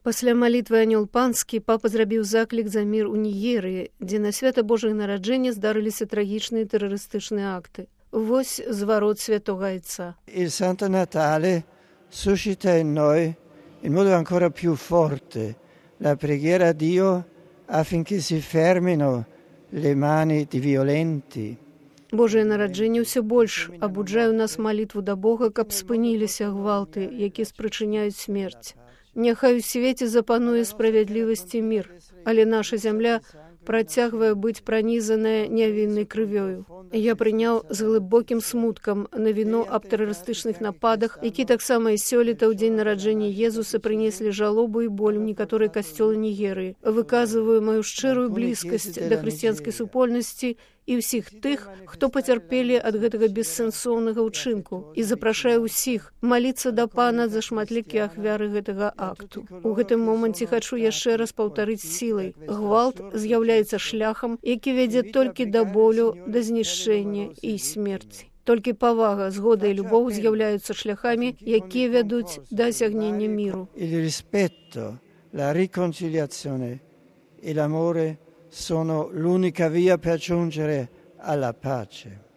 Пасля малітвы анёл панскі папа зрабіў заклік за мір у Нігерыі, дзе на свята Божае нараджэння здарыліся трагічныя тэрарыстычныя акты. Вось зварот святого Айца. Il Santo Natale suscita in noi in modo ancora più forte la preghiera a Dio affinché si fermino le mani di violenti. Божае нараджэнне ўсё больш абуджае ў нас малітву да Бога, каб спыніліся гвалты, якія спрычыняюць смерць. Няхай у свеце запануе справядлівасць і мір, але наша зямля працягвае быць пранізаная нявіннай крывёю. Я прыняў з глыбокім смуткам навіну аб тэрарыстычных нападах, які таксама і сёлета ў дзень нараджэння Езуса прынеслі жалобу і боль у некаторыя касцёлы Нігерыі. Выказваю маю шчырую блізкасць да хрысціянскай супольнасці і ўсіх тых, хто пацярпелі ад гэтага бессэнсоўнага ўчынку, і запрашаю ўсіх маліцца да Пана за шматлікія ахвяры гэтага акту. У гэтым моманце хачу яшчэ раз паўтарыць сілай. Гвалт з'яўляецца шляхам, які вядзе толькі да болю, да знішчэння і смерці. Толькі павага, згода і любоў з'яўляюцца шляхамі, якія вядуць да асягнення міру. Il rispetto, la riconciliazione e l'amore sono l'unica via per giungere alla pace.